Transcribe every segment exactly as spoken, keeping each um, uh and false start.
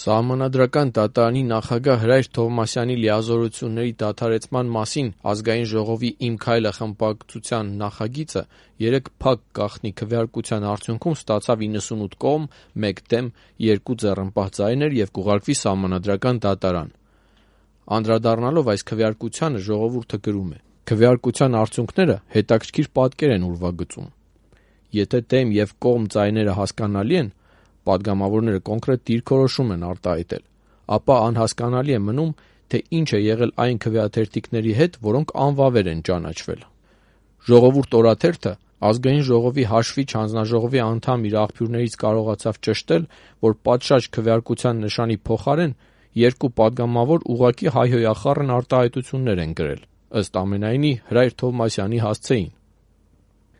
Սահմանադրական դատարանի նախագահ Հրայր Թովմասյանի լիազորությունների դադարեցման մասին Ազգային ժողովի «Իմ քայլը» խմբակցության նախագիծը երեկ փակ գաղտնի քվեարկության արդյունքում ստացավ իննսունութ կողմ, մեկ դեմ, երկու ձեռնպահ ձայներ և կուղարկվի Սահմանադրական դատարան։ Անդրադառնալով այս քվեարկությանը ժողովուրդը գրում է. «Քվեարկության արդյունքները հետաքրքիր պատկեր են ուրվագծում։ Եթե դեմ և կողմ ձայները հասկանալի են, պատգամավորները կոնկրետ դիրքորոշում են արտահայտել, ապա անհասկանալի է մնում, թե ինչ է եղել այն քվեաթերթիկների հետ, որոնք անվավեր են ճանաչվել։ Ժողովուրդ օրաթերթը Ազգային ժողովի հաշվիչ հանձնաժողովի անդամ իր աղբյուրներից կարողացավ ճշտել, որ պատշաճ քվեարկության նշանի փոխարեն երկու պատգամավոր ուղղակի հայհոյախառն արտահայտություններ են գրել, ըստ ամենայնի Հրայր Թովմասյանի հասցեին։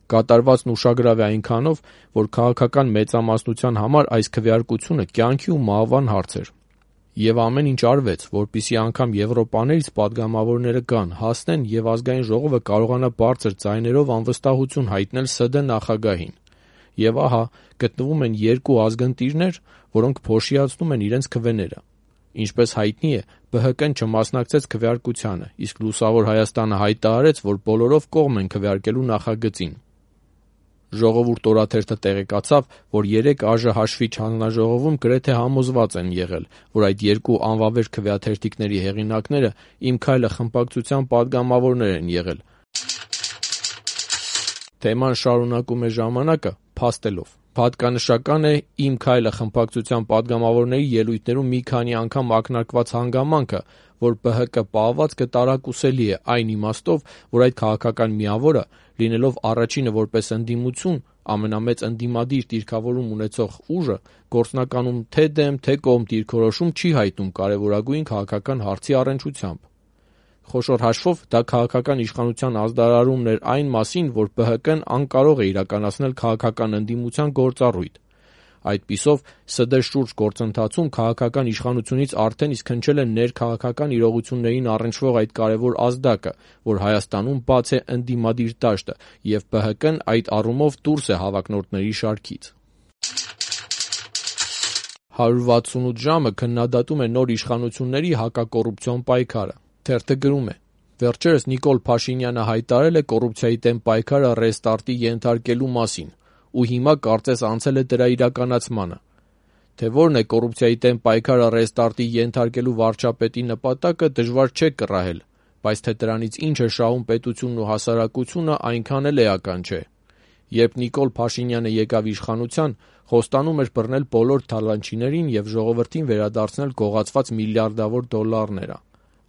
Կատարվածն ուշագրավ է այնքանով, որ քաղաքական մեծամասնության համար այս քվեարկությունը կյանքի ու մահվան հարց էր։ Եվ ամեն ինչ արվեց, որպեսզի անգամ Եվրոպաներից պատգամավորները գան, հասնեն և Ազգային ժողովը կարողանա բարձր ձայներով անվստահություն հայտնել ՍԴ նախագահին։ Եվ ահա գտնվում են երկու ազգընտիրներ, որոնք փոշիացնում են իրենց քվեները։ Ինչպես հայտնի է, ԲՀԿ-ն չմասնակցեց քվեարկությանը, իսկ Լուսավոր Հայաստանը հայտարարեց, որ բոլորով կողմ են քվեարկելու նախագծին։ Ժողովուրդ օրաթերթը տեղեկացավ, որ երեկ ԱԺ հաշվիչ հանձնաժողովում գրեթե համոզված են եղել, որ այդ երկու անվավեր քվեաթերթիկների հեղինակները «Իմ քայլը» խմբակցության պատգամավորներ են եղել։ Թեման շարունակում է «Ժամանակ»-ը փաստելով. «Հատկանշական է «Իմ քայլը» խմբակցության պատգամավորների ելույթներում մի քանի անգամ ակնարկված հանգամանքը, որ ԲՀԿ պահվածքը տարակուսելի է այն իմաստով, որ այդ քաղաքական միավորը, լինելով առաջինը որպես ընդդիմություն, ամենամեծ ընդդիմադիր դիրքավորում ունեցող ուժը, գործնականում թե՛ դեմ, թե՛ կողմ դիրքորոշում չի հայտնում կարևորագույն քաղաքական հարցի առնչությամբ։ Խոշոր հաշվով դա քաղաքական իշխանության ազդարարումն էր այն մասին, որ ԲՀԿ-ն անկարող է իրականացնել քաղաքական ընդդիմության գործառույթ։ Այդպիսով, ՍԴ շուրջ գործընթացում քաղաքական իշխանությունից արդեն իսկ հնչել է ներքաղաքական իրողություններին առնչվող այդ կարևոր ազդակը, որ Հայաստանում բաց է ընդդիմադիր դաշտը, և ԲՀԿ-ն այդ առումով դուրս է հավակնորդների շարքից»։ հարյուր վաթսունութ ժամը քննադատում է նոր իշխանությունների հակակոռուպցիոն պայքարը։ Թերթը գրում է. «Վերջերս Նիկոլ Փաշինյանը հայտարարել է կոռուպցիայի դեմ պայքարը ռեստարտի ենթարկելու մասին, ու հիմա կարծես անցել է դրա իրականացմանը։ Թե որն է կոռուպցիայի դեմ պայքարը ռեստարտի ենթարկելու վարչապետի նպատակը, դժվար չէ կռահել, բայց թե դրանից ինչ է շահում պետությունն ու հասարակությունը, այնքան էլ էական չէ։ Երբ Նիկոլ Փաշինյանը եկավ իշխանության, խոստանում էր բռնել բոլոր թալանչիներին և ժողովրդին վերադարձնել գողացված միլիարդավոր դոլարները։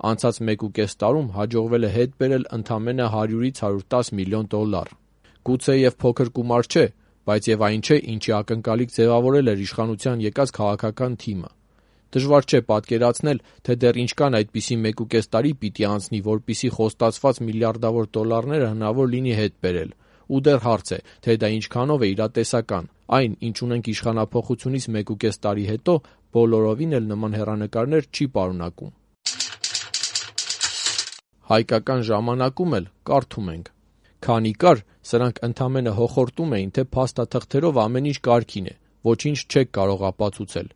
Անցած մեկ ու կես տարում հաջողվել է հետ բերել ընդամենը հարյուրից հարյուր տասը միլիոն դոլար։ Գուցեև փոքր գումար չէ, բայց և այն չէ, ինչի ակնկալիք ձևավորել էր իշխանության եկած քաղաքական թիմը։ Դժվար չէ պատկերացնել, թե դեռ ինչքան այդպիսի մեկ ու կես տարի պիտի անցնի, որպեսզի խոստացված միլիարդավոր դոլարները հնարավոր լինի հետ բերել։ Ու դեռ հարց է, թե դա ինչքանով է իրատեսական։ Այն, ինչ ունենք իշխանափոխությունից մեկ ու կես տարի հետո, բոլորովին էլ նման հեռանկարներ չի պարունակում»։ Հայկական ժամանակում էլ կարդում ենք. «Քանի կար, սրանք ընդամենը հոխորտում էին, թե փաստաթղթերով ամեն ինչ կարգին է, ոչինչ չեք կարող ապացուցել։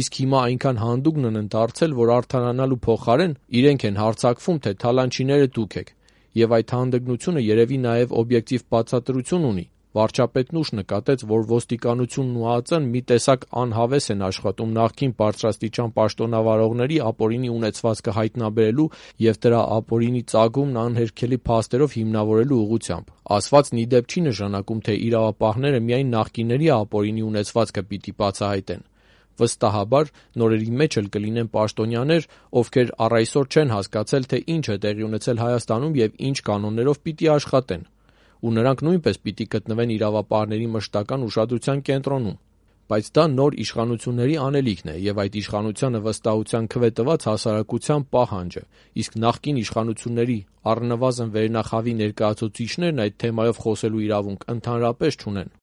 Իսկ հիմա այնքան հանդուգն են դարձել, որ արդարանալու փոխարեն իրենք են հարձակվում, թե թալանչիները դուք եք։ Եվ այդ հանդգնությունը երևի նաև օբյեկտիվ բացատրություն ունի։ Վարչապետն ուշ նկատեց, որ ոստիկանությունն ու ԱԱԾ-ն մի տեսակ անհավես են աշխատում նախկին բարձրաստիճան պաշտոնավարողների ապօրինի ունեցվածքը հայտնաբերելու և դրա ապօրինի ծագումն անհերքելի փաստերով հիմնավորելու ուղղությամբ։ Ասվածն ի դեպ չի նշանակում, թե իրավապահները միայն նախկինների ապօրինի ունեցվածքը պիտի բացահայտեն։ Վստահաբար, նորերի մեջ էլ կլինեն պաշտոնյաներ, ովքեր առ այսօր չեն հասկացել, թե ինչ է տեղի ունեցել Հայաստանում և ինչ կանոններով պիտի աշխատեն։ Ու նրանք նույնպես պիտի գտնվեն իրավապահների մշտական ուշադրության կենտրոնում։ Բայց դա նոր իշխանությունների անելիքն է և այդ իշխանությանը վստահության քվե տված հասարակության պահանջը, իսկ նախկին իշխանությունների, առնվազն վերնախավի ներկայացուցիչներն այդ թեմայով խոսելու իրավունք ընդհանրապես չունեն»։